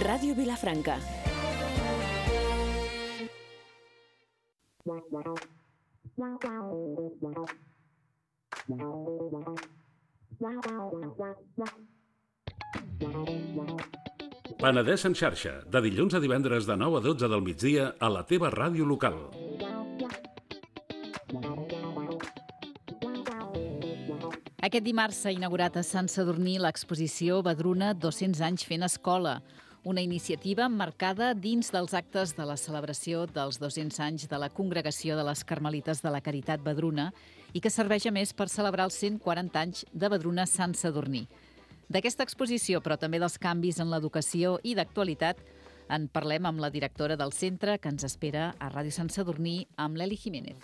Ràdio Vilafranca. Penedès en xarxa, de dilluns a divendres de 9 a 12 del migdia a la teva ràdio local. Aquest dimarts s'ha inaugurat a Sant Sadurní l'exposició Vedruna 200 anys fent escola, una iniciativa emmarcada dins dels actes de la celebració dels 200 anys de la Congregació de les Carmelites de la Caritat Vedruna i que serveix a més per celebrar els 140 anys de Vedruna Sant Sadurní. D'aquesta exposició, però també dels canvis en l'educació i d'actualitat, en parlem amb la directora del centre, que ens espera a Ràdio Sant Sadurní, amb l'Eli Jiménez.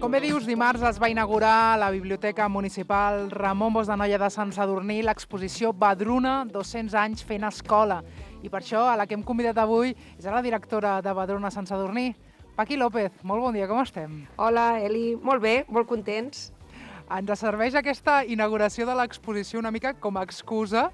Com bé dius, dimarts es va inaugurar a la Biblioteca Municipal Ramon Bosch de Noia de Sant Sadurní l'exposició Vedruna 200 anys fent escola. I per això a la que hem convidat avui és a la directora de Vedruna Sant Sadurní, Paqui López. Molt bon dia, com estem? Hola, Eli. Molt bé, molt contents. Ens serveix aquesta inauguració de l'exposició una mica com a excusa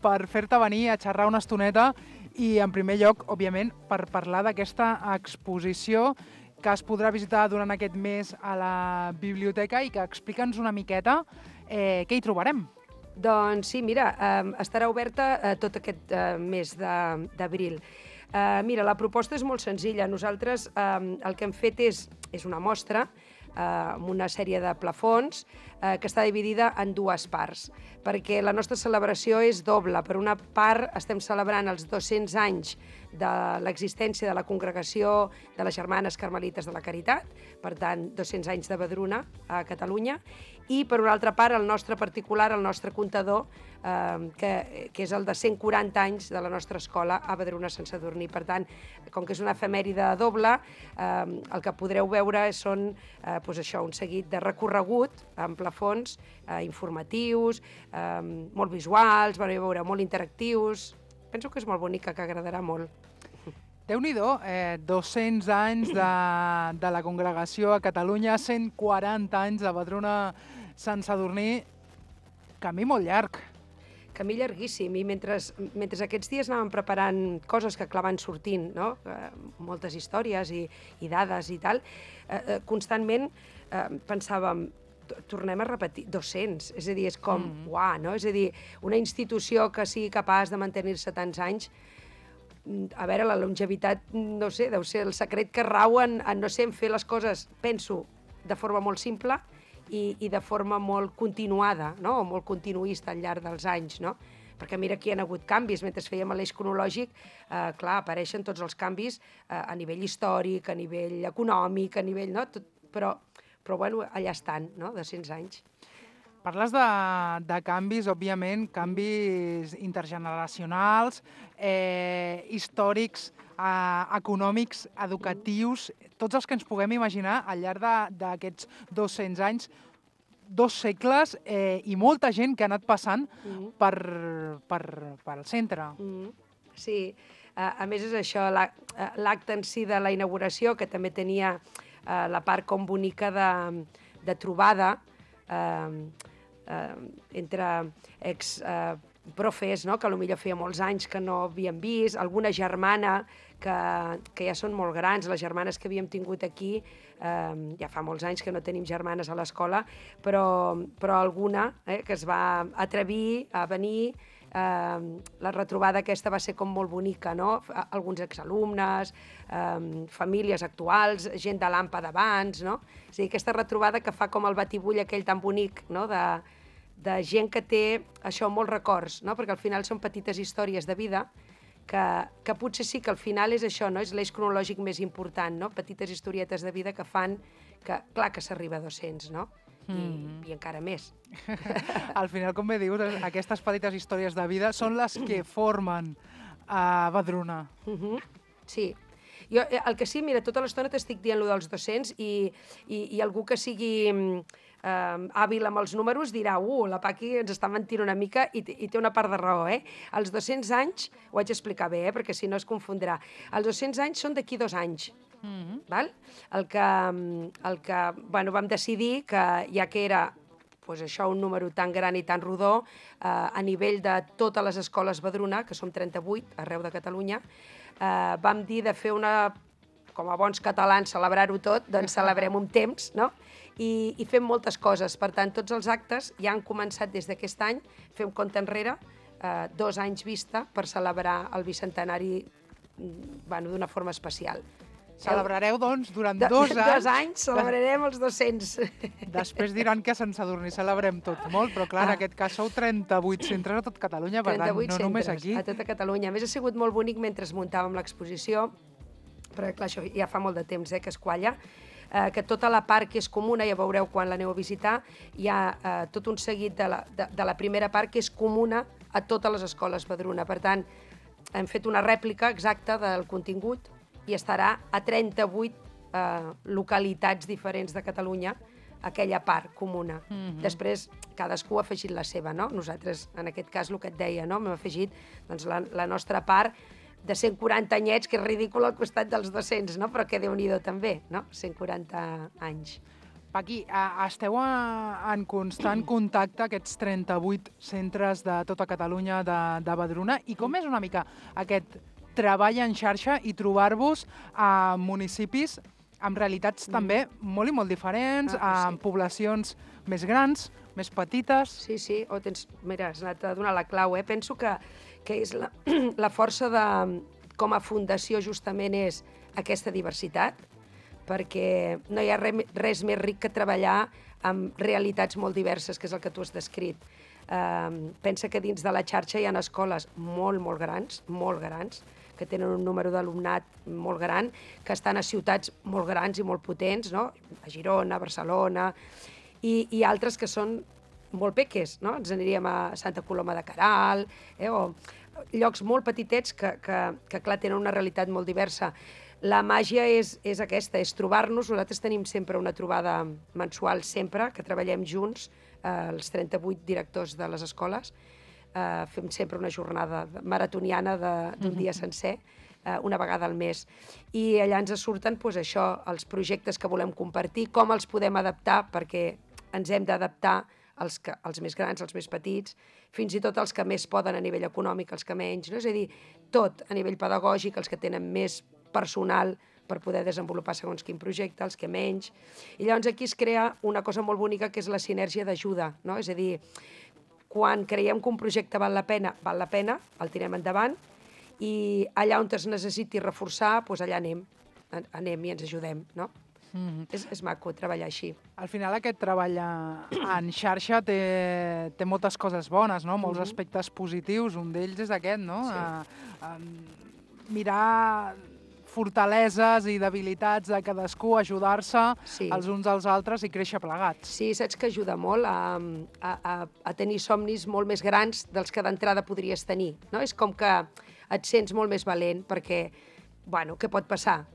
per fer-te venir a xerrar una estoneta i, en primer lloc, òbviament, per parlar d'aquesta exposició que es podrà visitar durant aquest mes a la biblioteca i que explica'ns una miqueta què hi trobarem. Doncs sí, mira, estarà oberta tot aquest mes d'abril. Mira, la proposta és molt senzilla. Nosaltres el que hem fet és una mostra amb una sèrie de plafons que està dividida en dues parts, perquè la nostra celebració és doble. Per una part, estem celebrant els 200 anys de l'existència de la Congregació de les Germanes Carmelites de la Caritat, per tant, 200 anys de Vedruna a Catalunya, i per una altra part, el nostre particular, el nostre comptador, que és el de 140 anys de la nostra escola a Vedruna Sant Sadurní. Per tant, com que és una efemèride doble, el que podreu veure són un seguit de recorregut amb plafons informatius, molt visuals, molt interactius. Penso que és molt bonica, que agradarà molt. Déu-n'hi-do, 200 anys de la congregació a Catalunya, 140 anys de Vedruna Sant Sadurní, camí molt llarg. Camí llarguíssim, i mentre aquests dies anàvem preparant coses que van sortint, no? Moltes històries i dades i tal, constantment pensàvem, tornem a repetir 200, és a dir, és com, uah, no? És a dir, una institució que sigui capaç de mantenir-se tants anys, a veure, la longevitat, no sé, deu ser el secret que rau en fer les coses, penso, de forma molt simple i de forma molt continuada, no? O molt continuista al llarg dels anys, no? Perquè mira, aquí hi ha hagut canvis. Mentre fèiem l'eix cronològic, clar, apareixen tots els canvis a nivell històric, a nivell econòmic, a nivell... No? Però bueno, allà estan, no?, de 100 anys. Parles de canvis, òbviament, canvis intergeneracionals, històrics, econòmics, educatius, tots els que ens puguem imaginar al llarg d'aquests 200 anys, 2 segles i molta gent que ha anat passant pel centre. Sí, a més és això, l'acte en si de la inauguració, que també tenia la part com bonica de trobada entre exprofes, no? Que potser feia molts anys que no havíem vist, alguna germana que ja són molt grans, les germanes que havíem tingut aquí, ja fa molts anys que no tenim germanes a l'escola, però alguna que es va atrevir a venir. La retrobada aquesta va ser com molt bonica, no? Alguns exalumnes, famílies actuals, gent de l'AMPA d'abans, no? És a dir, aquesta retrobada que fa com el batibull aquell tan bonic, no? De gent que té això, molts records, no? Perquè al final són petites històries de vida que potser sí que al final és això, no? És l'eix cronològic més important, no? Petites historietes de vida que fan que, clar, que s'arriba a 200, no? I encara més. Al final, com bé dius, aquestes petites històries de vida són les que formen Vedruna. Sí. Jo, el que sí, mira, tota l'estona t'estic dient allò dels 200 i algú que sigui hàbil amb els números dirà la Paqui ens està mentint una mica i té una part de raó, Els 200 anys, ho haig d'explicar bé, perquè si no es confondrà, els 200 anys són d'aquí 2 anys. Val? El que vam decidir que ja que era pues això, un número tan gran i tan rodó, a nivell de totes les escoles Badruna, que som 38 arreu de Catalunya, vam dir de fer com a bons catalans, celebrar-ho tot, doncs celebrem un temps, no? I fem moltes coses. Per tant, tots els actes ja han començat des d'aquest any, fem compte enrere, 2 anys vista per celebrar el bicentenari d'una forma especial. Celebrareu, doncs, durant 2 anys. 2 anys celebrarem els 200. Després diran que a Sant Sadurní celebrem tot molt, però clar, en aquest cas sou 38 centres a tot Catalunya, per tant, no només aquí. A tota Catalunya. A més, ha sigut molt bonic mentre muntàvem l'exposició, perquè clar, això ja fa molt de temps que es qualla, que tota la part que és comuna, ja veureu quan l'aneu a visitar, hi ha tot un seguit de la primera part que és comuna a totes les escoles Badruna. Per tant, hem fet una rèplica exacta del contingut i estarà a 38 localitats diferents de Catalunya, aquella part comuna. Després, cadascú ha afegit la seva, no? Nosaltres, en aquest cas, el que et deia, no? Hem afegit doncs, la nostra part de 140 anyets, que és ridícul al costat dels 200, no? Però que Déu-n'hi-do també, no? 140 anys. Paqui, esteu en constant contacte, aquests 38 centres de tota Catalunya de Badruna, i com és una mica aquest treball en xarxa i trobar-vos a municipis amb realitats també molt i molt diferents, amb poblacions més grans, més petites... Sí, mira, has anat a donar la clau, Penso que és la força com a fundació justament és aquesta diversitat, perquè no hi ha res més ric que treballar amb realitats molt diverses, que és el que tu has descrit. Pensa que dins de la xarxa hi ha escoles molt grans, que tenen un número d'alumnat molt gran, que estan a ciutats molt grans i molt potents, no? A Girona, a Barcelona, i altres que són molt peques, no? Ens aniríem a Santa Coloma de Queralt, o llocs molt petitets que clar, tenen una realitat molt diversa. La màgia és aquesta, és trobar-nos. Nosaltres tenim sempre una trobada mensual, sempre, que treballem junts, els 38 directors de les escoles. Fem sempre una jornada maratoniana d'un dia sencer, una vegada al mes. I allà ens surten això, els projectes que volem compartir, com els podem adaptar, perquè ens hem d'adaptar els més grans, els més petits, fins i tot els que més poden a nivell econòmic, els que menys, no? És a dir, tot a nivell pedagògic, els que tenen més personal per poder desenvolupar segons quin projecte, els que menys. I llavors aquí es crea una cosa molt bonica que és la sinergia d'ajuda, no? És a dir, quan creiem que un projecte val la pena, el tirem endavant, i allà on es necessiti reforçar, doncs allà anem i ens ajudem, no? És maco treballar així. Al final aquest treball en xarxa té moltes coses bones, no? Molts aspectes positius, un d'ells és aquest, no? Mirar fortaleses i debilitats de cadascú, ajudar-se els uns als altres i créixer plegats. Sí, saps que ajuda molt a tenir somnis molt més grans dels que d'entrada podries tenir, no? És com que et sents molt més valent perquè, bueno, què pot passar?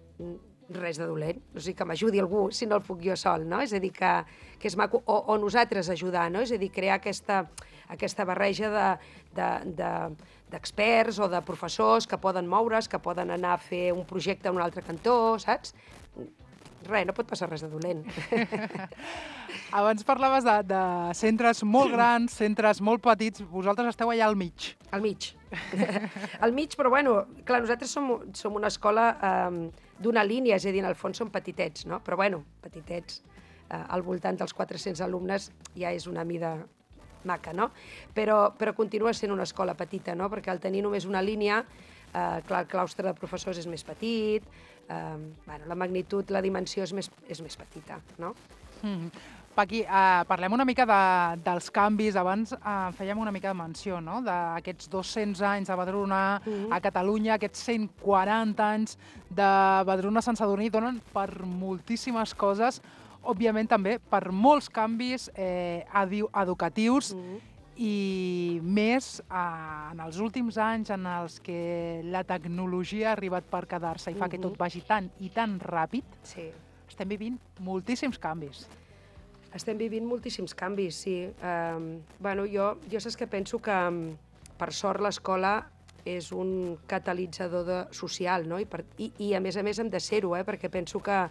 Res de dolent, o sigui, que m'ajudi algú si no el puc jo sol, no? És a dir, que és maco, o nosaltres ajudar, no? És a dir, crear aquesta barreja d'experts o de professors que poden moure's, que poden anar a fer un projecte en un altre cantó, saps? Res, no pot passar res de dolent. Abans parlaves de centres molt grans, centres molt petits. Vosaltres esteu allà al mig. Al mig. Al mig, però bueno, clar, nosaltres som una escola d'una línia, és a dir, en el fons som petitets, no? Però bueno, petitets, al voltant dels 400 alumnes ja és una mida maca, no? Però continua sent una escola petita, no? Perquè al tenir només una línia, clar, el claustre de professors és més petit, la magnitud, la dimensió és més petita, no? Paqui, parlem una mica dels canvis. Abans fèiem una mica de menció, no? D'aquests 200 anys de Badruna a Catalunya, aquests 140 anys de Badruna a Sant Sadurní donen per moltíssimes coses, òbviament també per molts canvis educatius i més en els últims anys en els que la tecnologia ha arribat per quedar-se i fa que tot vagi tan i tan ràpid. Sí. Estem vivint moltíssims canvis. Estem vivint moltíssims canvis, sí. Bueno, jo saps que penso que, per sort, l'escola és un catalitzador social, no? I a més hem de ser-ho, perquè penso que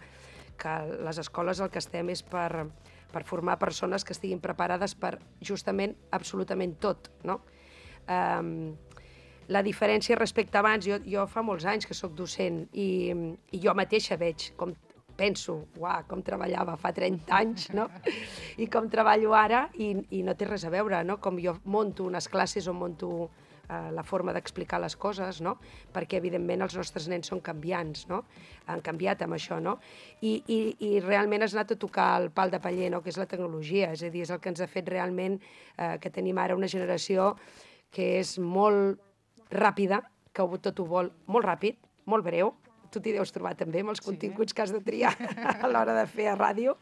les escoles el que estem és per per formar persones que estiguin preparades per justament absolutament tot, no? La diferència respecte a abans, jo fa molts anys que sóc docent i jo mateixa veig com penso, uah, com treballava fa 30 anys, no? I com treballo ara, i no té res a veure, no? Com jo monto unes classes o monto la forma d'explicar les coses, no? Perquè, evidentment, els nostres nens són canviants, no? Han canviat amb això, no? I realment has anat a tocar el pal de paller, no? Que és la tecnologia, és a dir, és el que ens ha fet realment que tenim ara una generació que és molt ràpida, que tot ho vol molt ràpid, molt breu. Tu t'hi deus trobar també amb els continguts que has de triar a l'hora de fer a ràdio.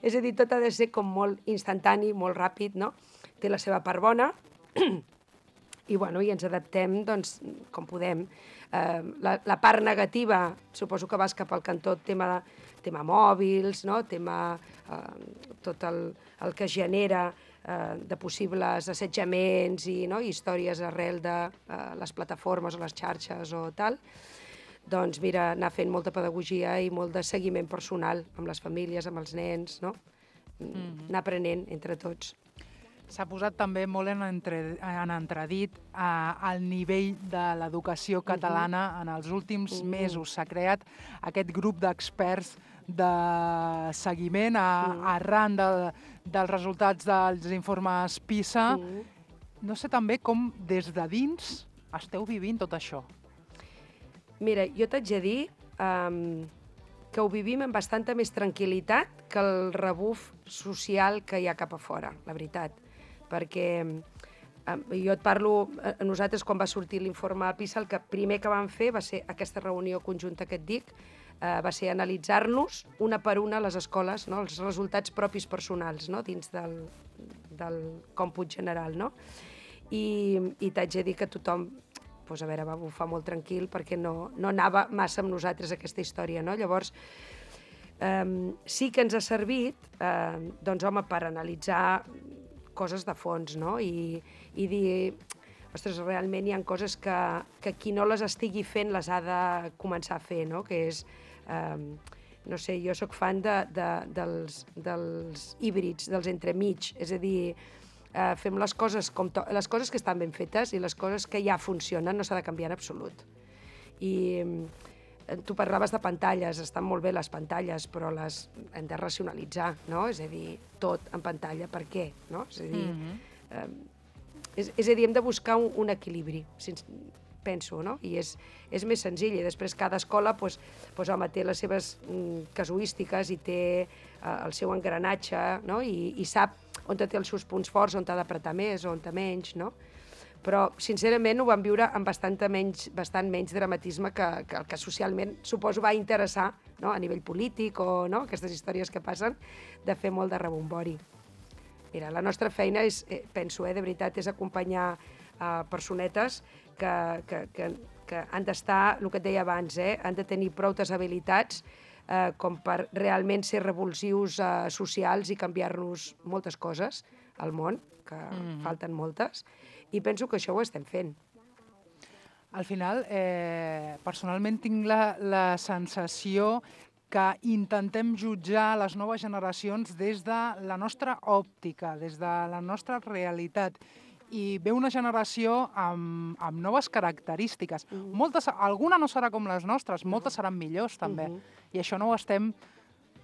És a dir, tot ha de ser com molt instantani, molt ràpid, no? Té la seva part bona, i ens adaptem doncs, com podem. La part negativa, suposo que vas cap al cantó tema mòbils, no? Tot el que genera de possibles assetjaments i històries arrel de les plataformes o les xarxes o tal. Doncs mira, anar fent molta pedagogia i molt de seguiment personal amb les famílies, amb els nens, no? Anar aprenent entre tots. S'ha posat també molt en entredit el nivell de l'educació catalana. En els últims mesos s'ha creat aquest grup d'experts de seguiment arran dels resultats dels informes PISA. No sé també com des de dins esteu vivint tot això. Mira, jo t'haig de dir que ho vivim amb bastanta més tranquil·litat que el rebuf social que hi ha cap a fora, la veritat. Perquè jo et parlo, nosaltres quan va sortir l'informe PISA, el primer que vam fer va ser aquesta reunió conjunta que et dic, va ser analitzar-nos una per una a les escoles, no? Els resultats propis personals, no? Dins del còmput general, no? I t'haig de dir que tothom va bufar molt tranquil perquè no anava massa amb nosaltres aquesta història, no? Llavors, sí que ens ha servit, doncs, home, per analitzar coses de fons, no? I dir, ostres, realment hi ha coses que qui no les estigui fent les ha de començar a fer, no? Que és, no sé, jo sóc fan dels híbrids, dels entremig, és a dir, fem les coses que estan ben fetes i les coses que ja funcionen no s'ha de canviar en absolut. I tu parlaves de pantalles, estan molt bé les pantalles, però les hem de racionalitzar, no? És a dir, tot en pantalla, per què? No? És a dir, hem de buscar un equilibri, penso, no? I és més senzill, i després cada escola home, té les seves casuístiques i té el seu engranatge, no? I sap on té els seus punts forts, on t'ha d'apretar més o on té menys, no? Però, sincerament, ho vam viure amb bastant menys dramatisme que el que socialment, suposo, va interessar, no? A nivell polític o aquestes històries que passen, de fer molt de rebombori. Mira, la nostra feina és, penso, de veritat, és acompanyar personetes que han d'estar, el que et deia abans, han de tenir prou habilitats com per realment ser revulsius socials i canviar-nos moltes coses al món, que falten moltes, i penso que això ho estem fent. Al final, personalment tinc la sensació que intentem jutjar les noves generacions des de la nostra òptica, des de la nostra realitat. I ve una generació amb noves característiques. Alguna no serà com les nostres, moltes seran millors també. I això no ho estem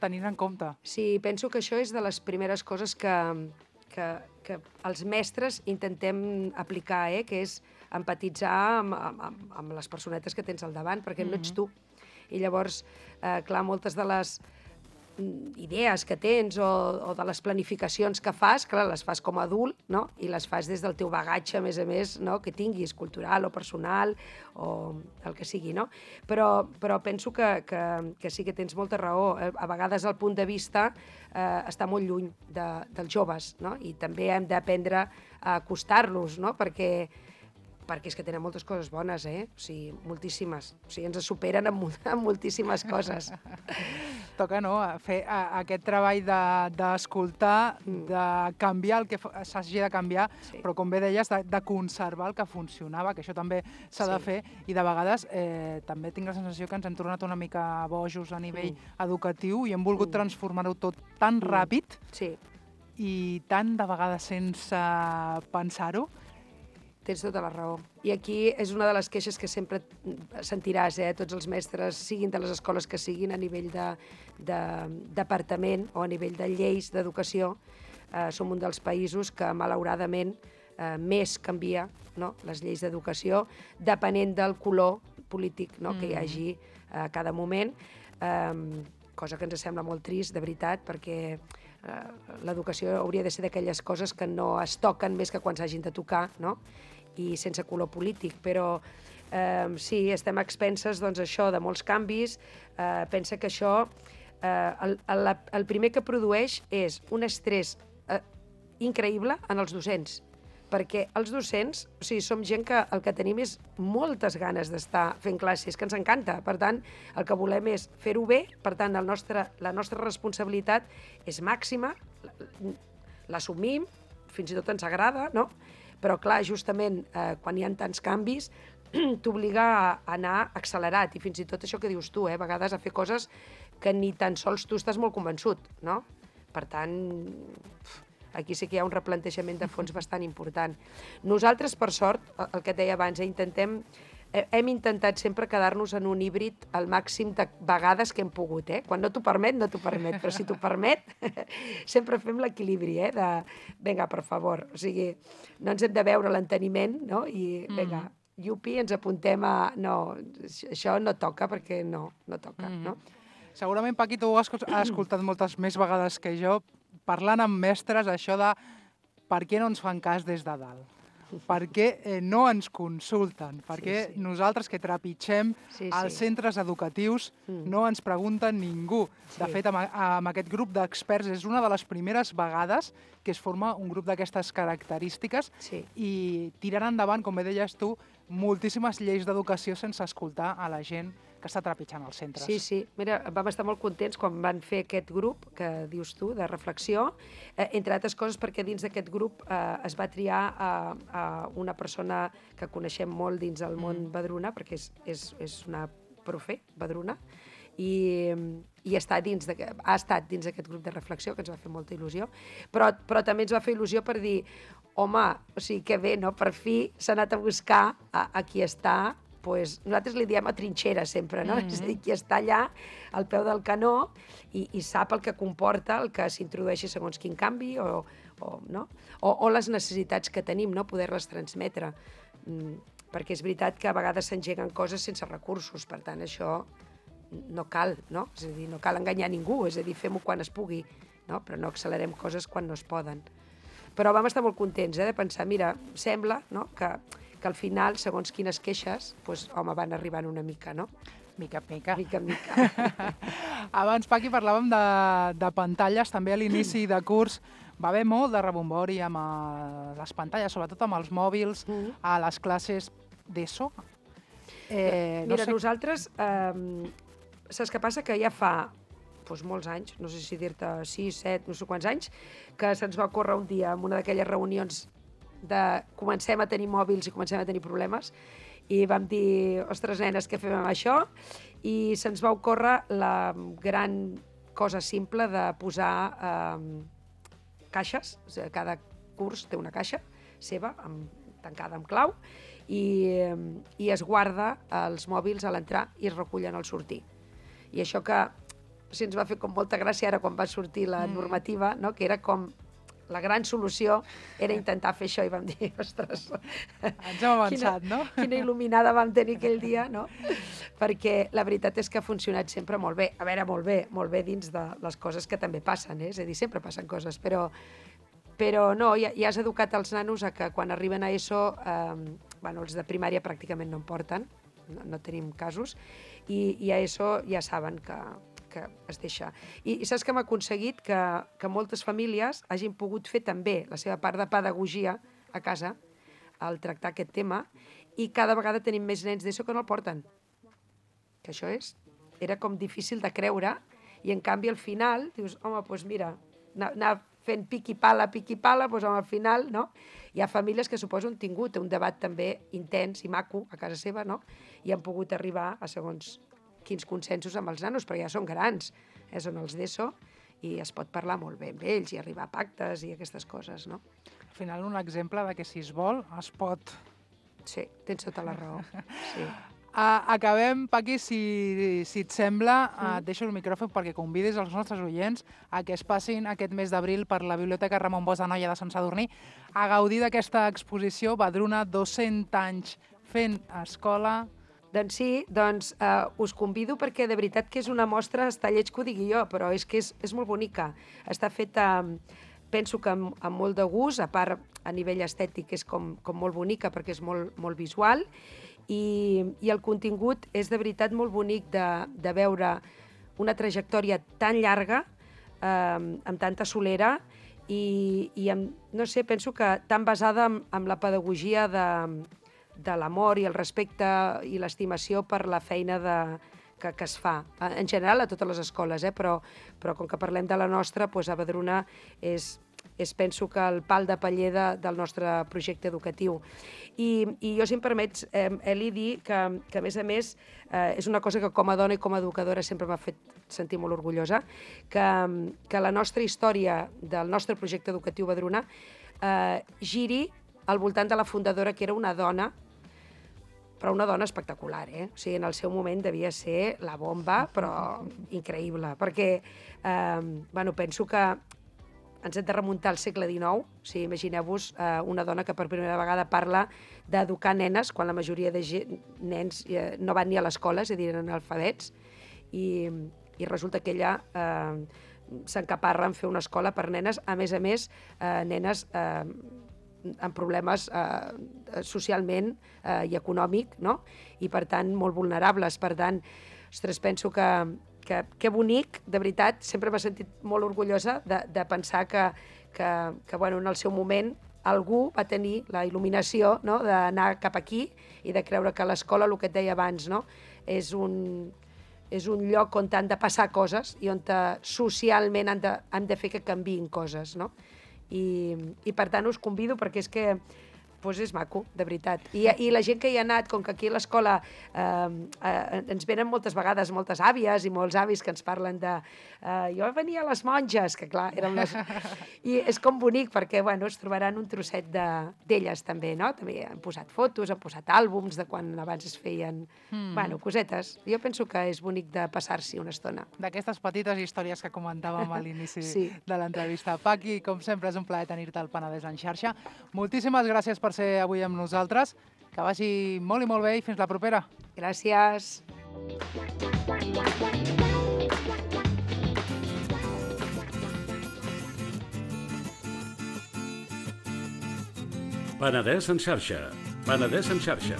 tenint en compte. Sí, penso que això és de les primeres coses que els mestres intentem aplicar, que és empatitzar amb les personetes que tens al davant, perquè no ets tu. I llavors, clar, moltes de les idees que tens o de les planificacions que fas, clar, les fas com a adult, no? I les fas des del teu bagatge, a més, no? Que tinguis, cultural o personal o el que sigui, no? Però penso que sí que tens molta raó. A vegades el punt de vista està molt lluny dels joves, no? I també hem d'aprendre a acostar-los, no? Perquè és que tenen moltes coses bones, o sigui, moltíssimes. O sigui, ens superen en moltíssimes coses. toca fer aquest treball d'escoltar, de canviar el que s'hagi de canviar, però com bé deies, de conservar el que funcionava, que això també s'ha de fer, i de vegades també tinc la sensació que ens hem tornat una mica bojos a nivell educatiu i hem volgut transformar-ho tot tan ràpid i tant de vegades sense pensar-ho. Tens tota la raó. I aquí és una de les queixes que sempre sentiràs, tots els mestres, siguin de les escoles que siguin, a nivell de departament o a nivell de lleis d'educació. Som un dels països que, malauradament, més canvia les lleis d'educació, depenent del color polític que hi hagi a cada moment, cosa que ens sembla molt trist, de veritat, perquè l'educació hauria de ser d'aquelles coses que no es toquen més que quan s'hagin de tocar, i sense color polític, però sí, estem a expenses això de molts canvis. Pensa que això, el primer que produeix és un estrès increïble en els docents, perquè els docents, som gent que el que tenim és moltes ganes d'estar fent classes, que ens encanta. Per tant, el que volem és fer-ho bé, per tant, la nostra responsabilitat és màxima, l'assumim, fins i tot ens agrada, però clar, justament quan hi ha tants canvis, t'obliga a anar accelerat, i fins i tot això que dius tu, a vegades a fer coses que ni tan sols tu estàs molt convençut, Per tant, aquí sí que hi ha un replantejament de fons bastant important. Nosaltres, per sort, el que et deia abans, hem intentat sempre quedar-nos en un híbrid al màxim de vegades que hem pogut. Quan no t'ho permet, no t'ho permet, però si t'ho permet, sempre fem l'equilibri, de, vinga, per favor, o sigui, no ens hem de veure l'enteniment, i vinga, yupi, ens apuntem a... No, això no toca perquè no toca, Segurament, Paqui, tu ho has escoltat moltes més vegades que jo, parlant amb mestres, això de per què no ens fan cas des de dalt? Per què no ens consulten? Per què nosaltres que trepitgem els centres educatius no ens pregunten ningú? De fet, amb aquest grup d'experts és una de les primeres vegades que es forma un grup d'aquestes característiques i tirant endavant, com bé deies tu, moltíssimes lleis d'educació sense escoltar a la gent que està trepitjant els centres. Sí. Mira, vam estar molt contents quan van fer aquest grup, que dius tu, de reflexió, entre altres coses perquè dins d'aquest grup es va triar una persona que coneixem molt dins del món Vedruna, perquè és una profe, Vedruna, i ha estat dins d'aquest grup de reflexió, que ens va fer molta il·lusió, però també ens va fer il·lusió per dir, home, o sigui, que bé, per fi s'ha anat a buscar a qui està. Nosaltres li diem a trinxera sempre, és a dir, qui està allà al peu del canó i sap el que comporta el que s'introdueixi segons quin canvi o les necessitats que tenim, poder-les transmetre. Perquè és veritat que a vegades s'engeguen coses sense recursos, per tant, això no cal, és a dir, no cal enganyar ningú, és a dir, fem-ho quan es pugui, però no accelerem coses quan no es poden. Però vam estar molt contents de pensar, mira, sembla que al final, segons quines queixes, home, van arribant una mica, Mica en mica. Mica en mica. Abans, Paqui, parlàvem de pantalles, també a l'inici de curs va haver molt de rebombori amb les pantalles, sobretot amb els mòbils, a les classes d'ESO. Mira, nosaltres, saps què passa? Que ja fa molts anys, no sé si dir-te 6, 7, no sé quants anys, que se'ns va ocórrer un dia en una d'aquelles reunions de comencem a tenir mòbils i comencem a tenir problemes, i vam dir, ostres, nenes, què fem amb això? I se'ns va ocórrer la gran cosa simple de posar caixes, o sigui, cada curs té una caixa seva, tancada amb clau, i es guarda els mòbils a l'entrar i es recullen al sortir. I això que ens va fer com molta gràcia ara quan va sortir la normativa, que era com la gran solució era intentar fer això, i vam dir, ostres... Ens hem avançat, Quina il·luminada vam tenir aquell dia, Perquè la veritat és que ha funcionat sempre molt bé. A veure, molt bé dins de les coses que també passen, és a dir, sempre passen coses, però no, ja has educat els nanos a que quan arriben a ESO, els de primària pràcticament no en porten, no tenim casos, i a ESO ja saben que es deixa. I saps que hem aconseguit que moltes famílies hagin pogut fer també la seva part de pedagogia a casa al tractar aquest tema, i cada vegada tenim més nens d'ESO que no el porten. Que això era com difícil de creure, I en canvi al final dius, home, doncs mira, anar fent piqui-pala, doncs al final, no? Hi ha famílies que suposo han tingut un debat també intens i maco a casa seva, no? I han pogut arribar a segons quins consensos amb els nanos, però ja són grans, són els d'ESO, i es pot parlar molt bé amb ells i arribar a pactes i aquestes coses, no? Al final, un exemple de que si es vol, es pot. Sí, tens tota la raó. Sí. Acabem, Paqui, si et sembla, et deixo el micròfon perquè convidis els nostres oients a que es passin aquest mes d'abril per la Biblioteca Ramon Bosch de Noia de Sant Sadurní a gaudir d'aquesta exposició Vedruna 200 anys fent escola. Doncs sí, us convido perquè de veritat que és una mostra, està lleig que ho digui jo, però és que és molt bonica. Està feta, penso que amb molt de gust, a part a nivell estètic és com molt bonica perquè és molt visual, i el contingut és de veritat molt bonic de veure una trajectòria tan llarga, amb tanta solera, i no sé, penso que tan basada en la pedagogia de l'amor i el respecte i l'estimació per la feina que es fa. En general a totes les escoles, però com que parlem de la nostra, a Vedruna penso que el pal de paller del nostre projecte educatiu. I jo, si em permets, Eli, dir que a més, és una cosa que com a dona i com a educadora sempre m'ha fet sentir molt orgullosa, que la nostra història del nostre projecte educatiu Vedruna giri al voltant de la fundadora, que era una dona, però una dona espectacular, O sigui, en el seu moment devia ser la bomba, però increïble, perquè penso que ens hem de remuntar al segle XIX. O sigui, imagineu-vos una dona que per primera vegada parla d'educar nenes, quan la majoria de nens no van ni a l'escola, és a dir, eren analfabets, i resulta que ella s'encaparra en fer una escola per nenes, a més, nenes amb problemes socialment i econòmic, no? I per tant molt vulnerables. Per tant, ostres, penso que bonic, de veritat, sempre m'he sentit molt orgullosa de pensar que en el seu moment algú va tenir la il·luminació, no?, d'anar cap aquí i de creure que l'escola, el que et deia abans, no?, és un lloc on han de passar coses i on socialment han de fer que canviïn coses, no? I per tant us convido perquè és que és maco, de veritat. I la gent que hi ha anat, com que aquí a l'escola ens venen moltes vegades moltes àvies i molts avis que ens parlen de jo venia a les monges, que clar, eren les... I és com bonic perquè, es trobaran un trosset d'elles també, no? També han posat fotos, han posat àlbums de quan abans es feien, cosetes. Jo penso que és bonic de passar-s'hi una estona. D'aquestes petites històries que comentàvem a l'inici de l'entrevista. Paqui, com sempre, és un plaer tenir-te al Penedès en xarxa. Moltíssimes gràcies per ser avui amb nosaltres. Que vagi molt i molt bé i fins la propera. Gràcies. Penedès en xarxa. Penedès en xarxa.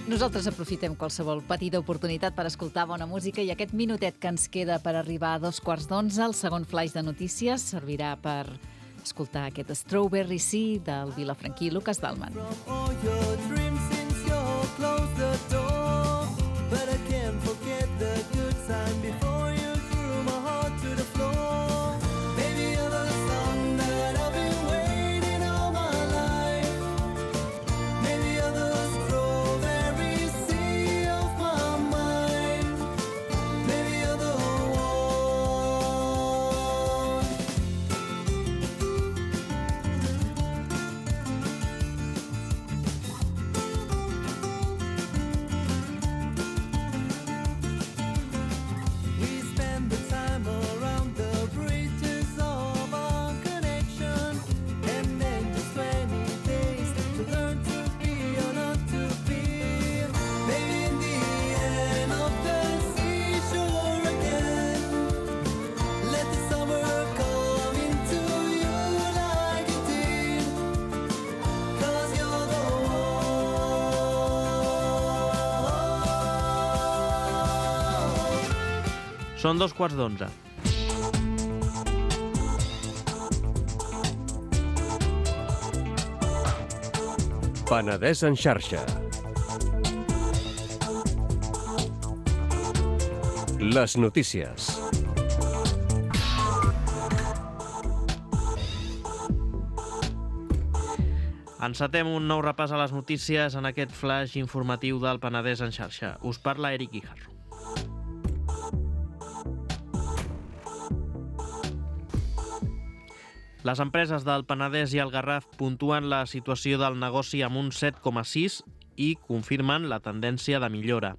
Nosaltres aprofitem qualsevol petita oportunitat per escoltar bona música i aquest minutet que ens queda per arribar a 11:15, el segon flaix de notícies, servirà per escoltar aquest Strawberry Sea del Vilafranquí i Lucas Dalman. Són 11:15. Penedès en xarxa. Les notícies. Encetem un nou repàs a les notícies en aquest flash informatiu del Penedès en xarxa. Us parla Eric Guijarro. Les empreses del Penedès i el Garraf puntuen la situació del negoci amb un 7,6 i confirmen la tendència de millora.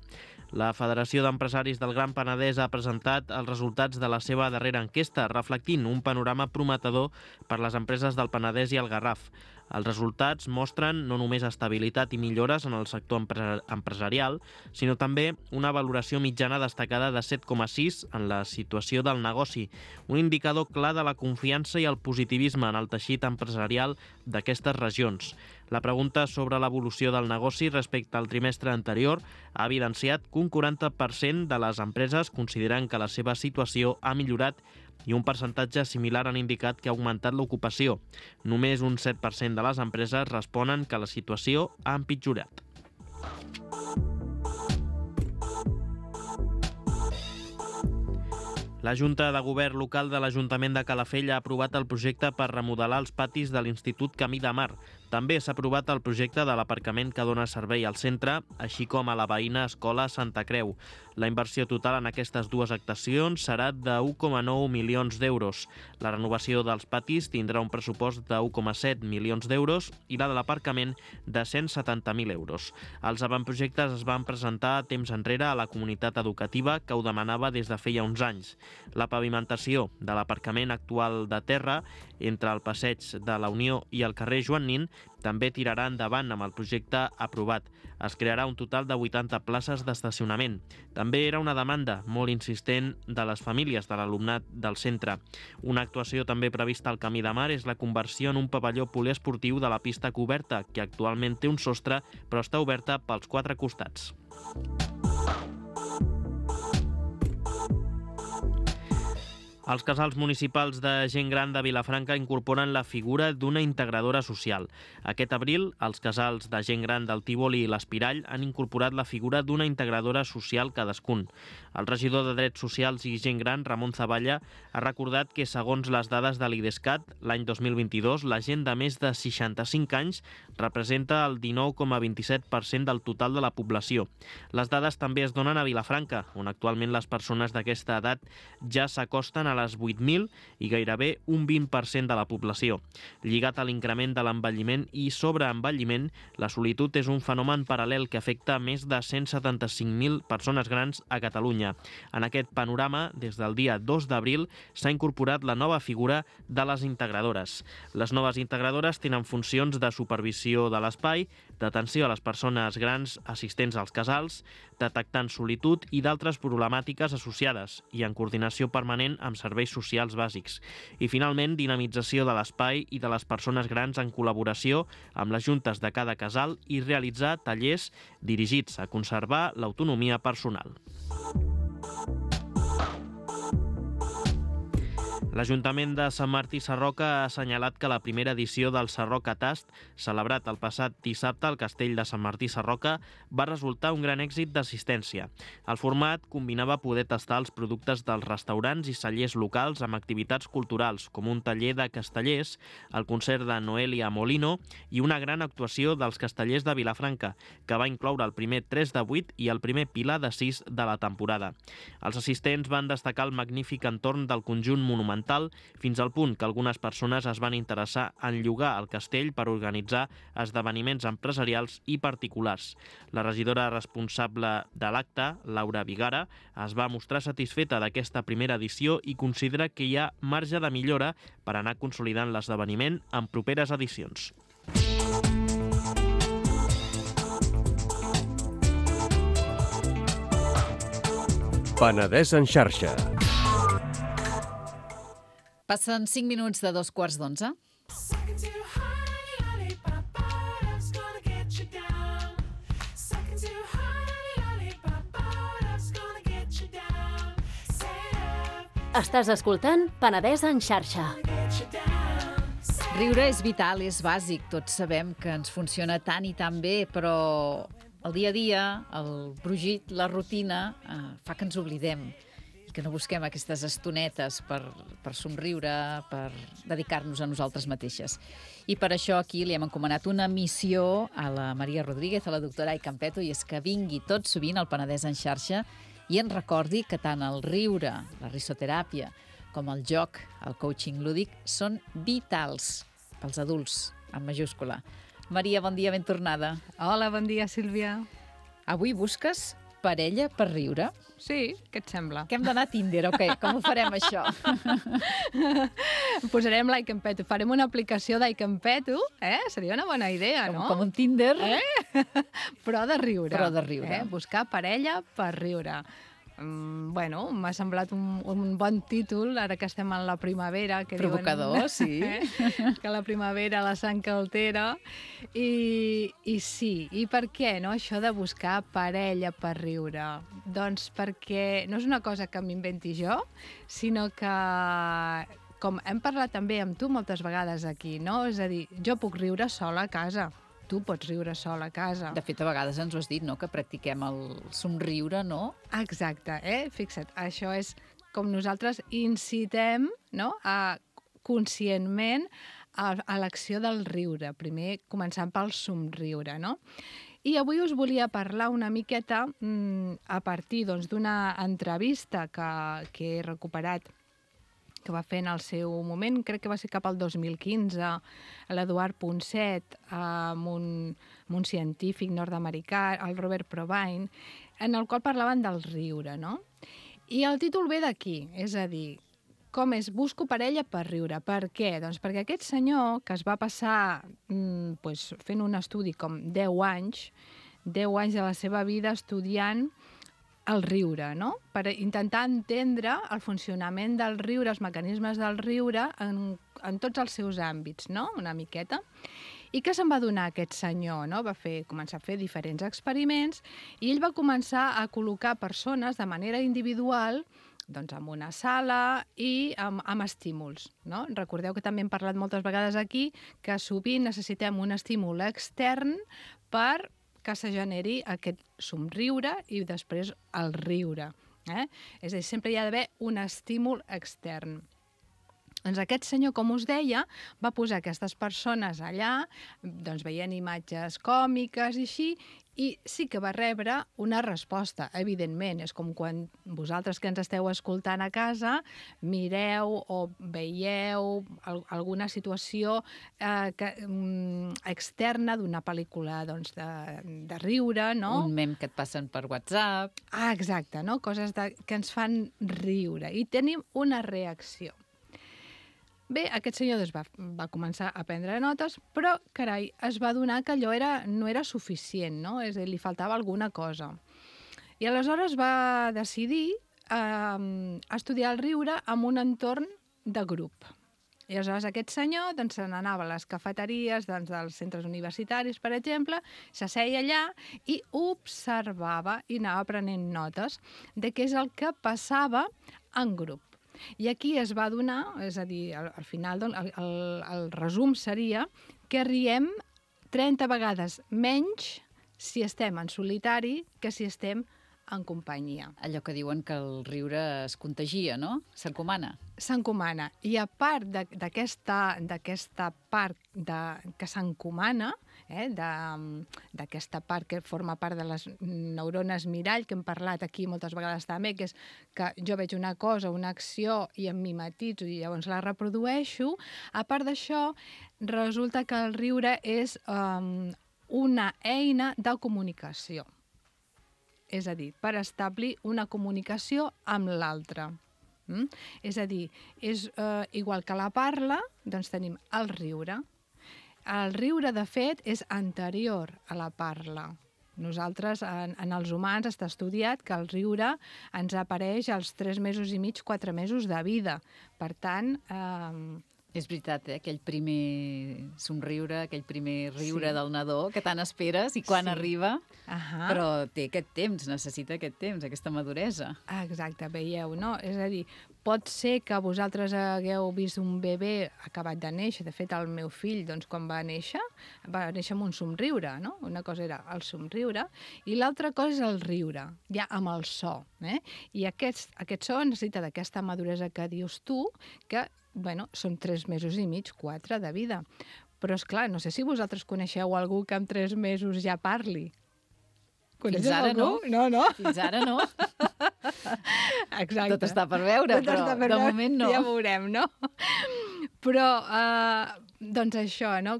La Federació d'Empresaris del Gran Penedès ha presentat els resultats de la seva darrera enquesta, reflectint un panorama prometedor per les empreses del Penedès i el Garraf. Els resultats mostren no només estabilitat i millores en el sector empresarial, sinó també una valoració mitjana destacada de 7,6 en la situació del negoci, un indicador clar de la confiança i el positivisme en el teixit empresarial d'aquestes regions. La pregunta sobre l'evolució del negoci respecte al trimestre anterior ha evidenciat que un 40% de les empreses consideren que la seva situació ha millorat i un percentatge similar han indicat que ha augmentat l'ocupació. Només un 7% de les empreses responen que la situació ha empitjorat. La Junta de Govern local de l'Ajuntament de Calafell ha aprovat el projecte per remodelar els patis de l'Institut Camí de Mar. També s'ha aprovat el projecte de l'aparcament que dona servei al centre, així com a la veïna Escola Santa Creu. La inversió total en aquestes dues actuacions serà de 1,9 milions d'euros. La renovació dels patis tindrà un pressupost de 1,7 milions d'euros i la de l'aparcament de 170.000 euros. Els avantprojectes es van presentar temps enrere a la comunitat educativa que ho demanava des de feia uns anys. La pavimentació de l'aparcament actual de terra entre el passeig de la Unió i el carrer Joan Nin també tirarà endavant amb el projecte aprovat. Es crearà un total de 80 places d'estacionament. També era una demanda molt insistent de les famílies de l'alumnat del centre. Una actuació també prevista al Camí de Mar és la conversió en un pavelló poliesportiu de la pista coberta, que actualment té un sostre però està oberta pels 4 costats. Els casals municipals de gent gran de Vilafranca incorporen la figura d'una integradora social. Aquest abril, els casals de gent gran del Tívoli i l'Espirall han incorporat la figura d'una integradora social cadascun. El regidor de Drets Socials i Gent Gran, Ramon Zavalla, ha recordat que, segons les dades de l'IDESCAT, l'any 2022, la gent de més de 65 anys representa el 19,27% del total de la població. Les dades també es donen a Vilafranca, on actualment les persones d'aquesta edat ja s'acosten a les 8.000 i gairebé un 20% de la població. Lligat a l'increment de l'envelliment i sobreenvelliment, la solitud és un fenomen paral·lel que afecta més de 175.000 persones grans a Catalunya. En aquest panorama, des del dia 2 d'abril, s'ha incorporat la nova figura de les integradores. Les noves integradores tenen funcions de supervisió de l'espai, d'atenció a les persones grans assistents als casals, detectant solitud i d'altres problemàtiques associades i en coordinació permanent amb serveis socials bàsics. I finalment, dinamització de l'espai i de les persones grans en col·laboració amb les juntes de cada casal i realitzar tallers dirigits a conservar l'autonomia personal. L'Ajuntament de Sant Martí Sarroca ha assenyalat que la primera edició del Sarroca Tast, celebrat el passat dissabte al Castell de Sant Martí Sarroca, va resultar un gran èxit d'assistència. El format combinava poder tastar els productes dels restaurants i cellers locals amb activitats culturals, com un taller de castellers, el concert de Noelia Molino i una gran actuació dels castellers de Vilafranca, que va incloure el primer 3 de 8 i el primer pilar de 6 de la temporada. Els assistents van destacar el magnífic entorn del conjunt monumental, fins al punt que algunes persones es van interessar en llogar el castell per organitzar esdeveniments empresarials i particulars. La regidora responsable de l'acte, Laura Vigara, es va mostrar satisfeta d'aquesta primera edició i considera que hi ha marge de millora per anar consolidant l'esdeveniment en properes edicions. Penedès en xarxa. Passen 5 minuts de 11:15. Estàs escoltant Penedès en xarxa. Riure és vital, és bàsic. Tots sabem que ens funciona tant i tan bé, però el dia a dia, el brugit, la rutina, fa que ens oblidem. i que no busquem aquestes estonetes per somriure, per dedicar-nos a nosaltres mateixes. I per això aquí li hem encomanat una missió a la Maria Rodríguez, a la doctora Ai Campeto, i és que vingui tot sovint al Penedès en xarxa i ens recordi que tant el riure, la risoteràpia, com el joc, el coaching lúdic, són vitals pels adults, en majúscula. Maria, bon dia, ben tornada. Hola, bon dia, Sílvia. Avui busques parella per riure? Sí, què et sembla? Que hem d'anar a Tinder, o què? Com ho farem, això? Posarem l'Aicampeto, farem una aplicació d'Aicampeto, Seria una bona idea, no? Com un Tinder. Però de riure. Però de riure. Buscar parella per riure. Bueno, m'ha semblat un bon títol, ara que estem en la primavera. Que provocador, diuen, sí. Que la primavera la sang que altera. I sí, i per què, no, això de buscar parella per riure? Doncs perquè no és una cosa que m'inventi jo, sinó que, com hem parlat també amb tu moltes vegades aquí, no? És a dir, jo puc riure sola a casa. Tu pots riure sola a casa. De fet, a vegades ens ho has dit, no?, que practiquem el somriure, no? Exacte, Fixa't, això és com nosaltres incitem, no?, conscientment a l'acció del riure, primer començant pel somriure, no? I avui us volia parlar una miqueta a partir d'una entrevista que he recuperat, que va fer en el seu moment, crec que va ser cap al 2015, l'Eduard Ponset, amb un científic nord-americà, el Robert Provine, en el qual parlaven del riure, no? I el títol ve d'aquí, és a dir, com és busco parella per riure. Per què? Doncs perquè aquest senyor, que es va passar fent un estudi com 10 anys de la seva vida estudiant el riure, no? Per intentar entendre el funcionament del riure, els mecanismes del riure en tots els seus àmbits, no? Una miqueta. I què se'n va donar aquest senyor, no? Va començar a fer diferents experiments i ell va començar a col·locar persones de manera individual doncs en una sala i amb estímuls, no? Recordeu que també hem parlat moltes vegades aquí que sovint necessitem un estímul extern per que se generi aquest somriure i després el riure. És a dir, sempre hi ha d'haver un estímul extern. Doncs aquest senyor, com us deia, va posar aquestes persones allà, doncs veient imatges còmiques i així, i sí que va rebre una resposta, evidentment. És com quan vosaltres que ens esteu escoltant a casa mireu o veieu alguna situació externa d'una pel·lícula de riure, no? Un mem que et passen per WhatsApp. Ah, exacte, no? Coses que ens fan riure i tenim una reacció. Bé, aquest senyor va començar a prendre notes, però, carai, es va adonar que allò no era suficient, no? És a dir, li faltava alguna cosa. I aleshores va decidir estudiar el riure en un entorn de grup. I aleshores aquest senyor se n'anava a les cafeteries dels centres universitaris, per exemple, s'asseia allà i observava i anava prenent notes de què és el que passava en grup. I aquí es va donar, és a dir, al final el resum seria que riem 30 vegades menys si estem en solitari que si estem en companyia. Allò que diuen que el riure es contagia, no? S'encomana. S'encomana. I a part d'aquesta part que s'encomana, d'aquesta part que forma part de les neurones mirall, que hem parlat aquí moltes vegades també, que és que jo veig una cosa, una acció, i em mimetitzo i llavors la reprodueixo, a part d'això, resulta que el riure és una eina de comunicació. És a dir, per establir una comunicació amb l'altre. És a dir, és igual que la parla, doncs tenim el riure. El riure, de fet, és anterior a la parla. Nosaltres, en els humans, està estudiat que el riure ens apareix als 3 mesos i mig, 4 mesos de vida. Per tant... És veritat, aquell primer somriure, aquell primer riure del nadó que tant esperes i quan arriba, però té aquest temps, necessita aquest temps, aquesta maduresa. Exacte, veieu, no? És a dir, pot ser que vosaltres hagueu vist un bebè acabat de néixer. De fet, el meu fill, doncs, quan va néixer amb un somriure, no? Una cosa era el somriure i l'altra cosa és el riure, ja amb el so. I aquest so necessita d'aquesta maduresa que dius tu, que, bueno, són 3 mesos i mig, 4 de vida. Però, és clar, no sé si vosaltres coneixeu algú que amb 3 mesos ja parli. Fins ara no. No. Fins ara no. Exacte. Tot està per veure, però de moment no. Ja veurem, no? Però, doncs això, no?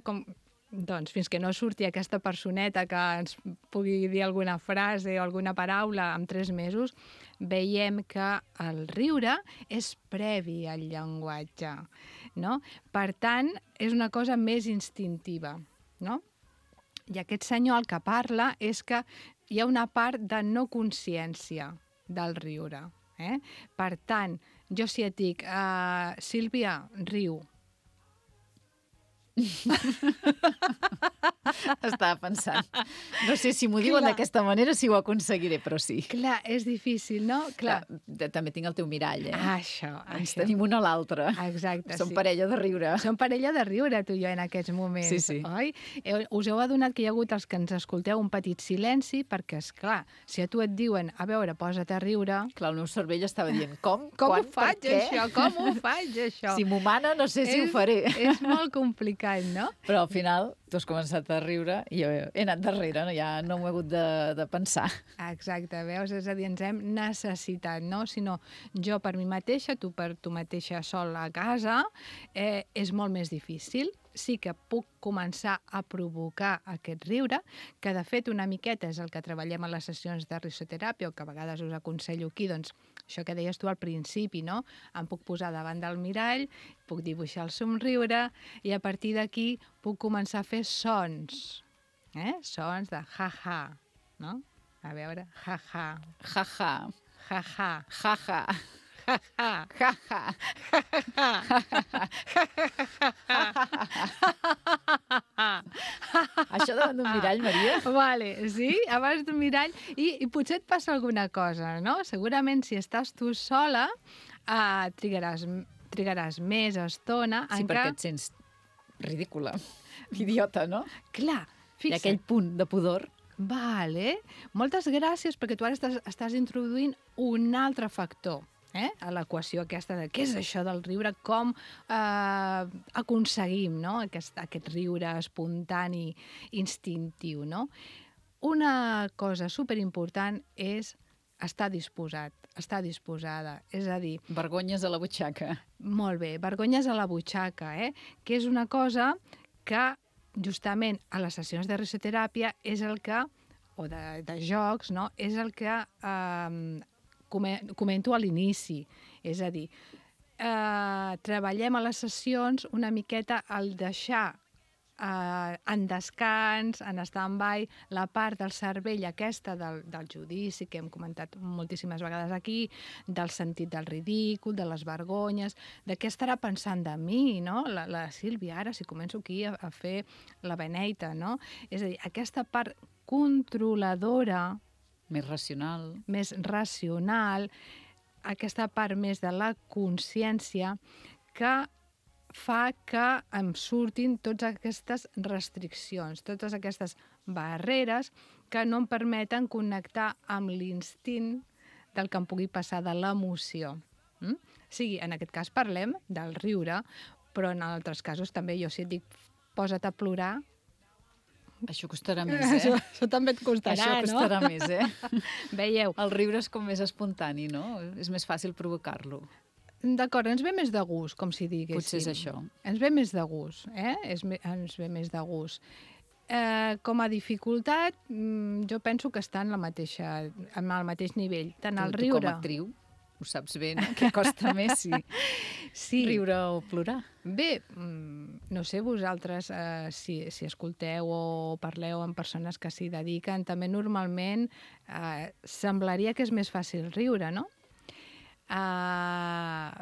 Doncs fins que no surti aquesta personeta que ens pugui dir alguna frase o alguna paraula en 3 mesos, veiem que el riure és previ al llenguatge, no? Per tant, és una cosa més instintiva, no? I aquest senyor el que parla és que hi ha una part de no consciència del riure. Per tant, jo si et dic, Sílvia, riu. Estava pensant. No sé si m'ho diuen d'aquesta manera si ho aconseguiré, però sí. Clar, és difícil, no? Clar. També tinc el teu mirall, Això. Ens tenim un a l'altre. Exacte, Som parella de riure. Som parella de riure, tu i jo, en aquests moments. Sí. Oi? Us heu adonat que hi ha hagut els que ens escolteu un petit silenci, perquè, esclar, si a tu et diuen, a veure, posa't a riure... Clar, el meu cervell estava dient, com? Com quan, ho faig, això? Com ho faig, això? Si m'ho mana, no sé si ho faré. És molt complicat, no? Però al final tu has començat a riure i jo he anat darrere, no? Ja no m'ho he hagut de pensar. Exacte, veus? És a dir, ens hem necessitat, no? Si no, jo per mi mateixa, tu per tu mateixa sol a casa, és molt més difícil. Sí que puc començar a provocar aquest riure, que de fet una miqueta és el que treballem a les sessions de risoteràpia, o que a vegades us aconsello aquí, doncs això que deies tu al principi, no? Em puc posar davant del mirall, puc dibuixar el somriure i a partir d'aquí puc començar a fer sons, sons de ha-ha, no? A veure, ha-ha. Ha-ha. Ha-ha. Ha-ha. Ha-ha. Això davant d'un mirall, Maria? Vale, sí, abans d'un mirall. I potser et passa alguna cosa, no? Segurament si estàs tu sola, trigaràs més estona. Sí, perquè et sents ridícula, idiota, no? Clar, fixa't. Hi ha aquell punt de pudor. Vale, moltes gràcies, perquè tu ara estàs introduint un altre factor a l'equació aquesta de què és això del riure, com aconseguim, no? aquest riure espontani, instintiu. No? Una cosa superimportant és estar disposat, estar disposada. És a dir... Vergonyes a la butxaca. Molt bé, vergonyes a la butxaca, que és una cosa que justament a les sessions de risoteràpia és el que, o de jocs, no? És el que comento a l'inici. És a dir, treballem a les sessions una miqueta al deixar en descans, en stand-by, la part del cervell aquesta del judici, que hem comentat moltíssimes vegades aquí, del sentit del ridícul, de les vergonyes, de què estarà pensant de mi, no? La Sílvia, ara, si començo aquí a fer la beneita, no? És a dir, aquesta part controladora... Més racional. Més racional, aquesta part més de la consciència que fa que em surtin totes aquestes restriccions, totes aquestes barreres que no em permeten connectar amb l'instint del que em pugui passar de l'emoció. O sigui, en aquest cas parlem del riure, però en altres casos també jo si et dic posa't a plorar... Això costarà més, Això també et costarà, no? Això costarà més, Veieu? El riure és com més espontani, no? És més fàcil provocar-lo. D'acord, ens ve més de gust, com si diguéssim. Potser és això. Ens ve més de gust, ens ve més de gust. Com a dificultat, jo penso que està en el mateix nivell. Tant el riure... Tu com a actriu ho saps bé, no? Què costa més, sí. Riure o plorar. Bé, no sé, vosaltres, si escolteu o parleu amb persones que s'hi dediquen, també normalment semblaria que és més fàcil riure, no?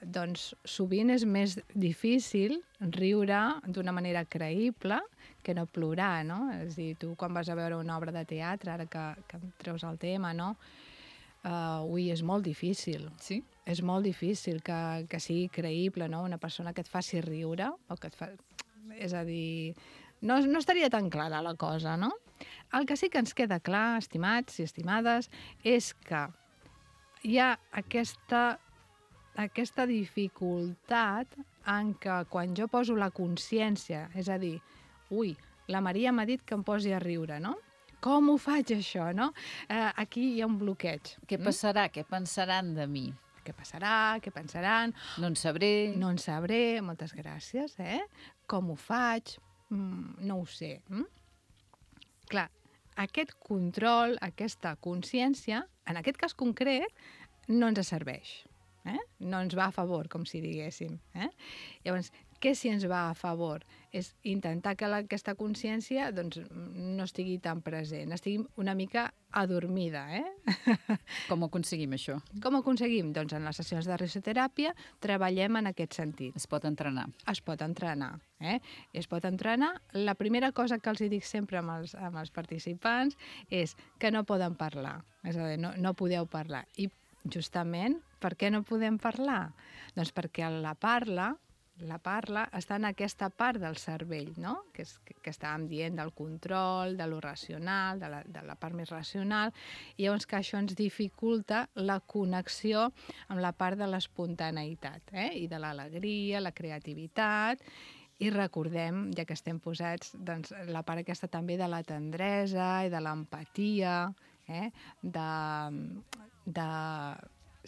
Doncs sovint és més difícil riure d'una manera creïble que no plorar, no? És a dir, tu quan vas a veure una obra de teatre, ara que em treus el tema, no? és molt difícil. Sí? És molt difícil que sigui creïble, no? Una persona que et faci riure, o que et fa... És a dir, no estaria tan clara la cosa, no? El que sí que ens queda clar, estimats i estimades, és que hi ha aquesta dificultat en què quan jo poso la consciència, és a dir, ui, la Maria m'ha dit que em posi a riure, no? Com ho faig, això, no? Aquí hi ha un bloqueig. Què passarà? Què pensaran de mi? Què passarà? Què pensaran? No en sabré. No en sabré, moltes gràcies, Com ho faig? No ho sé. Clar, aquest control, aquesta consciència, en aquest cas concret, no ens serveix. No ens va a favor, com si diguéssim. Llavors, què si ens va a favor? És intentar que aquesta consciència doncs, no estigui tan present, estigui una mica adormida. Com ho aconseguim, això? Com ho aconseguim? Doncs en les sessions de risoteràpia treballem en aquest sentit. Es pot entrenar. Es pot entrenar. Es pot entrenar. La primera cosa que els dic sempre amb els participants és que no poden parlar. És a dir, no podeu parlar. I justament, per què no podem parlar? Doncs perquè la parla està en aquesta part del cervell, no? que estàvem dient del control, de lo racional, de la part més racional, i llavors que això ens dificulta la connexió amb la part de l'espontaneïtat, i de l'alegria, la creativitat, i recordem, ja que estem posats, doncs, la part aquesta també de la tendresa i de l'empatia,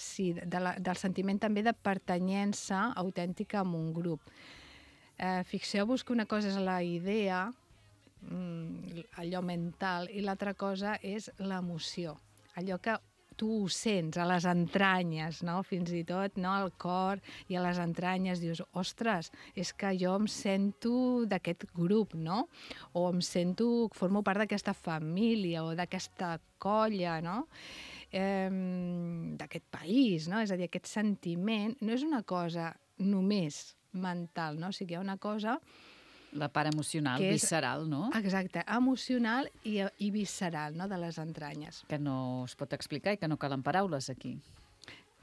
del sentiment també de pertanyença autèntica a un grup. Fixeu-vos que una cosa és la idea, allò mental, i l'altra cosa és l'emoció, allò que tu ho sents a les entranyes, no? Fins i tot, no? Al cor i a les entranyes dius, ostres, és que jo em sento d'aquest grup, no? O em sento, formo part d'aquesta família o d'aquesta colla, no? D'aquest país, no? És a dir, aquest sentiment no és una cosa només mental, no? O sigui, hi ha una cosa... La part emocional, visceral, no? Exacte, emocional i visceral, no?, de les entranyes. Que no es pot explicar i que no calen paraules aquí.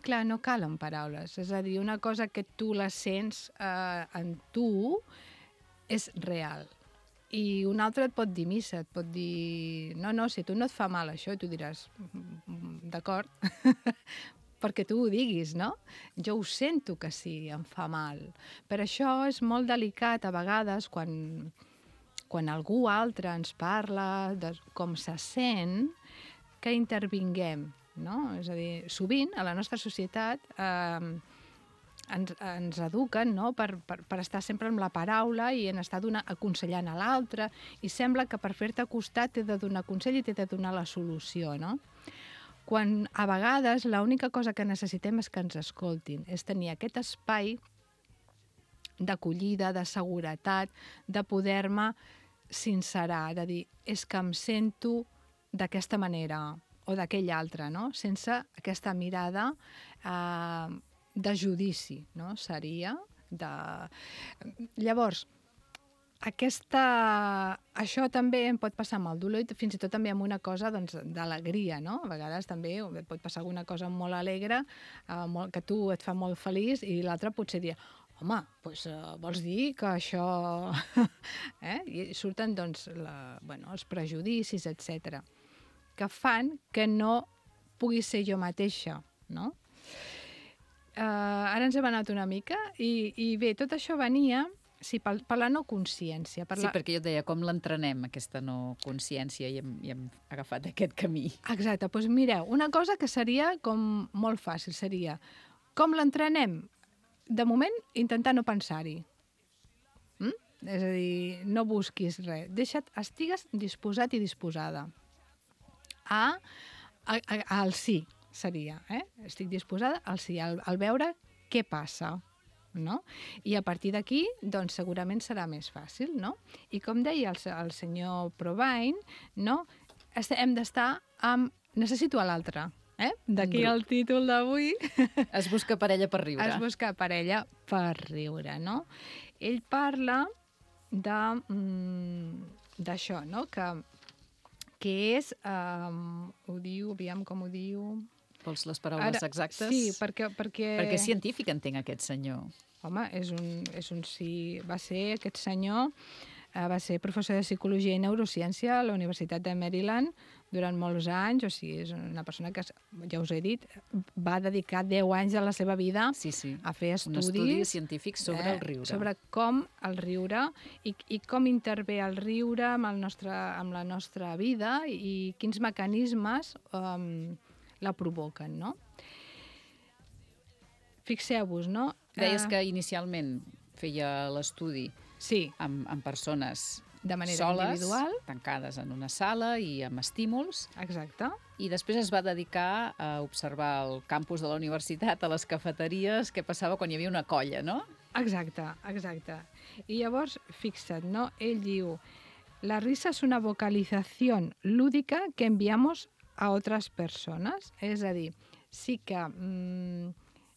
Clar, no calen paraules. És a dir, una cosa que tu la sents en tu és real. I un altre et pot dir missa, et pot dir... No, si a tu no et fa mal això, i tu diràs, d'acord, perquè tu ho diguis, no? Jo ho sento que sí, em fa mal. Per això és molt delicat a vegades quan algú altre ens parla de com se sent, que intervinguem, no? És a dir, sovint a la nostra societat ens eduquen, no?, per estar sempre amb la paraula i en estar aconsellant a l'altre, i sembla que per fer-te costat t'he de donar consell i t'he de donar la solució, no? Quan a vegades l'única cosa que necessitem és que ens escoltin, és tenir aquest espai d'acollida, de seguretat, de poder-me sincerar, de dir, és que em sento d'aquesta manera o d'aquella altra, no? Sense aquesta mirada de judici, no? Seria de... Llavors, això també em pot passar amb el dolor i fins i tot també amb una cosa d'alegria, no? A vegades també et pot passar alguna cosa molt alegre, que tu et fa molt feliç, i l'altre potser dir, home, doncs vols dir que això... I surten doncs els prejudicis, etc., que fan que no pugui ser jo mateixa, no? Ara ens hem anat una mica i bé, tot això venia... Sí, per la no consciència. Sí, perquè jo et deia, com l'entrenem, aquesta no consciència, i hem agafat aquest camí. Exacte, doncs mireu, una cosa que seria com molt fàcil, seria, com l'entrenem? De moment, intentar no pensar-hi. És a dir, no busquis res. Estigues disposat i disposada. Al sí, seria. Estic disposada al sí, al veure què passa. No? I a partir d'aquí, doncs, segurament serà més fàcil, no? I com deia el senyor Provine, no? Hem d'estar amb... Necessito a l'altre, D'aquí el títol d'avui. Es busca parella per riure. Es busca parella per riure, no? Ell parla d'això, no? Que és... ho diu, aviam com ho diu... Vols les paraules exactes? Sí, perquè... Perquè és científic, entenc, aquest senyor. Home, va ser aquest senyor, va ser professor de Psicologia i Neurociència a la Universitat de Maryland durant molts anys, o sigui, és una persona que, ja us he dit, va dedicar 10 anys de la seva vida a fer estudis. Un estudi científic sobre el riure. Sobre com el riure i com intervé el riure amb la nostra vida i quins mecanismes la provoquen, no? Fixeu-vos, no? Deies que inicialment feia l'estudi amb persones de manera soles, individual, tancades en una sala i amb estímuls. Exacte. I després es va dedicar a observar el campus de la universitat, a les cafeteries, què passava quan hi havia una colla, no? Exacte. I llavors, fixa't, no? Ell diu, la risa es una vocalización lúdica que enviamos a otras personas. És a dir, sí que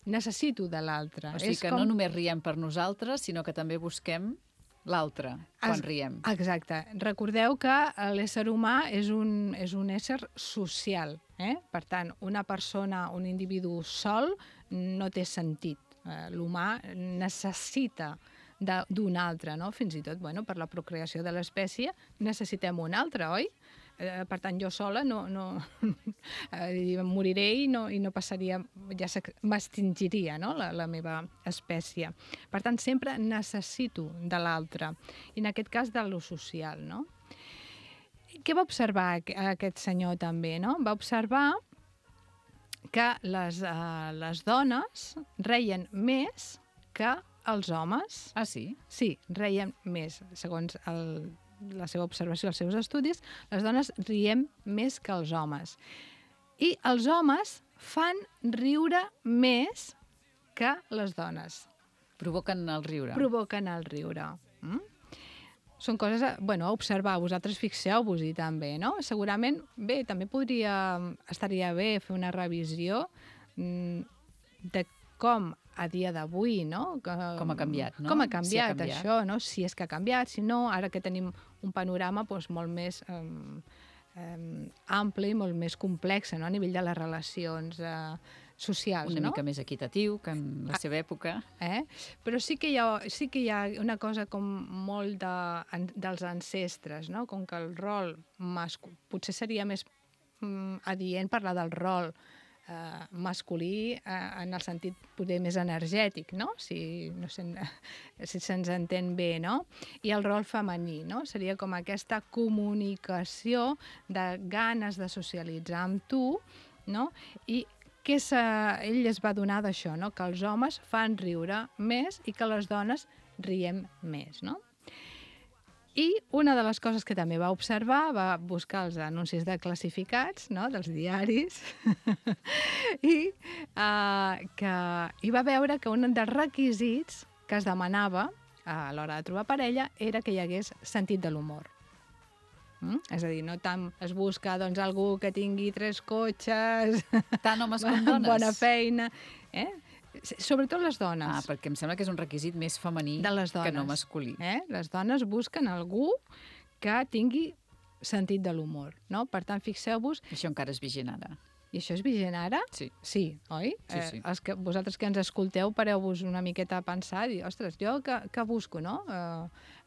necessito de l'altre. O sigui que no només riem per nosaltres, sinó que també busquem l'altre quan riem. Exacte. Recordeu que l'ésser humà és un ésser social. Per tant, una persona, un individu sol, no té sentit. L'humà necessita d'un altre, no? Fins i tot, per la procreació de l'espècie necessitem un altre, oi? Per tant, jo sola moriré i no passaria, ja m'extingiria, no? la meva espècie. Per tant, sempre necessito de l'altre, i en aquest cas de lo social, no? Què va observar aquest senyor també, no? Va observar que les dones reien més que els homes. Ah, sí? Sí, reien més, segons la seva observació, els seus estudis, les dones riem més que els homes. I els homes fan riure més que les dones. Provoquen el riure. Provoquen el riure. Són coses a observar. Vosaltres fixeu-vos-hi també, no? Segurament, també estaria bé fer una revisió de com a dia d'avui, no? Com ha canviat, no? Com ha canviat això, no? Si és que ha canviat, si no, ara que tenim un panorama molt més ampli i molt més complex, no? A nivell de les relacions socials, una mica més equitatiu que en la seva època. Però sí que hi ha una cosa com molt dels ancestres, no? Com que el rol potser seria més adient parlar del rol masculí en el sentit poder més energètic, no? Si se'ns entén bé, no? I el rol femení, no? Seria com aquesta comunicació de ganes de socialitzar amb tu, no? I ell es va donar d'això, no? Que els homes fan riure més i que les dones riem més, no? I una de les coses que també va observar, va buscar els anuncis de classificats, no?, dels diaris, i va veure que un dels requisits que es demanava a l'hora de trobar parella era que hi hagués sentit de l'humor. És a dir, no tant es busca algú que tingui 3 cotxes, tant homes com dones, bona feina, sobretot les dones. Perquè em sembla que és un requisit més femení que no masculí. Les dones busquen algú que tingui sentit de l'humor, no? Per tant, fixeu-vos... Això encara és vigent ara. I això és vigent ara? Sí. Sí, oi? Sí. Vosaltres que ens escolteu, pareu-vos una miqueta a pensar i, ostres, jo que busco, no?,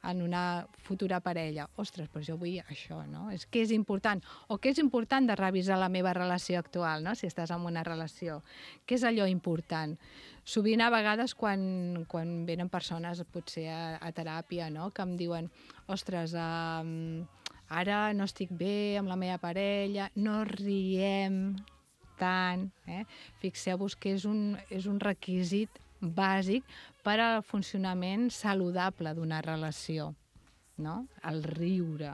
en una futura parella. Ostres, però jo vull això, no? Què és important? O què és important de revisar la meva relació actual, no?, si estàs en una relació. Què és allò important? Sovint, a vegades, quan venen persones, potser a teràpia, no?, que em diuen, ostres, ara no estic bé amb la meva parella, no riem tant. Fixeu-vos que és un requisit bàsic per al funcionament saludable d'una relació, no? El riure.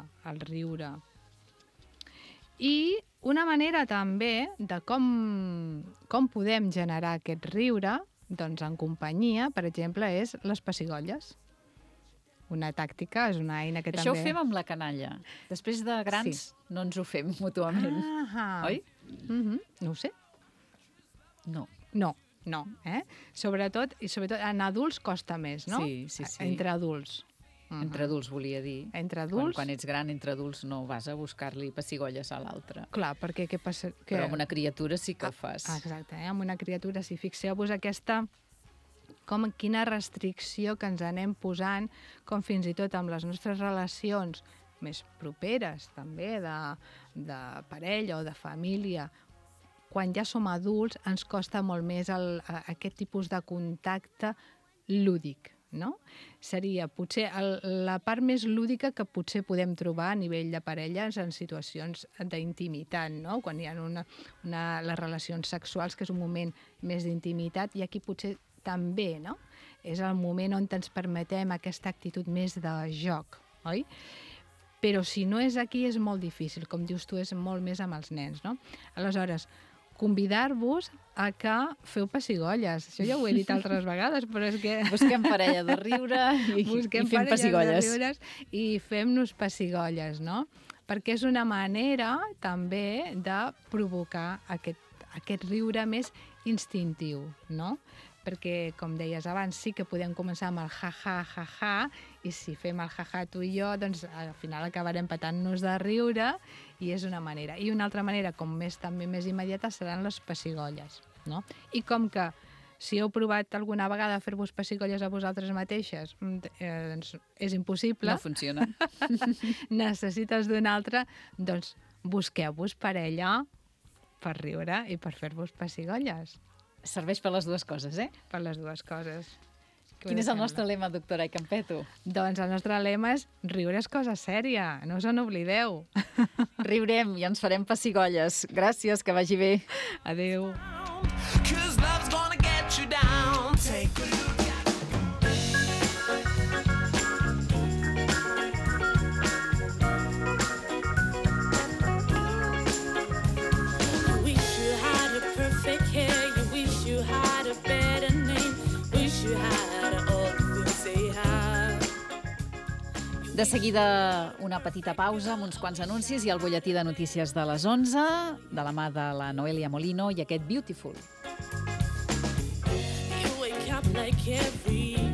I una manera també de com podem generar aquest riure, doncs en companyia, per exemple, és les pessigolles. Una tàctica, és una eina que també... Això ho fem amb la canalla. Després de grans no ens ho fem mútuament. Oi? No ho sé. No. Sobretot en adults costa més, no? Sí. Entre adults. Entre adults, volia dir. Entre adults. Quan ets gran, entre adults, no vas a buscar-li pessigolles a l'altre. Clar, perquè què passa? Però amb una criatura sí que ho fas. Exacte, amb una criatura sí. Fixeu-vos quina restricció que ens anem posant, com fins i tot amb les nostres relacions més properes, també, de parella o de família. Quan ja som adults ens costa molt més aquest tipus de contacte lúdic, no? Seria potser la part més lúdica que potser podem trobar a nivell de parelles en situacions d'intimitat, no? Quan hi ha les relacions sexuals, que és un moment més d'intimitat, i aquí potser també, no? És el moment on ens permetem aquesta actitud més de joc, oi? Però si no és aquí és molt difícil, com dius tu, és molt més amb els nens, no? Aleshores, convidar-vos a que feu pessigolles. Això ja ho he dit altres vegades, però és que... Busquem parella de riure i fem pessigolles. I fem-nos pessigolles, no? Perquè és una manera també de provocar aquest riure més instintiu, no? Perquè, com deies abans, sí que podem començar amb el ja-ja, i si fem el ja-ja tu i jo, doncs al final acabarem petant-nos de riure, i és una manera. I una altra manera, també més immediata, seran les pessigolles, no? I com que si heu provat alguna vegada a fer-vos pessigolles a vosaltres mateixes, doncs és impossible. No funciona. Necessites d'una altra, doncs busqueu-vos parella per riure i per fer-vos pessigolles. Serveix per les dues coses, eh? Per les dues coses. Quin és el nostre lema, doctora Campeto? Doncs el nostre lema és riure és cosa sèria, no us en oblideu. Riurem i ens farem pessigolles. Gràcies, que vagi bé. Adéu. De seguida, una petita pausa amb uns quants anuncis i el butlletí de notícies de les 11, de la mà de la Noelia Molino i aquest Beautiful. You wake up like every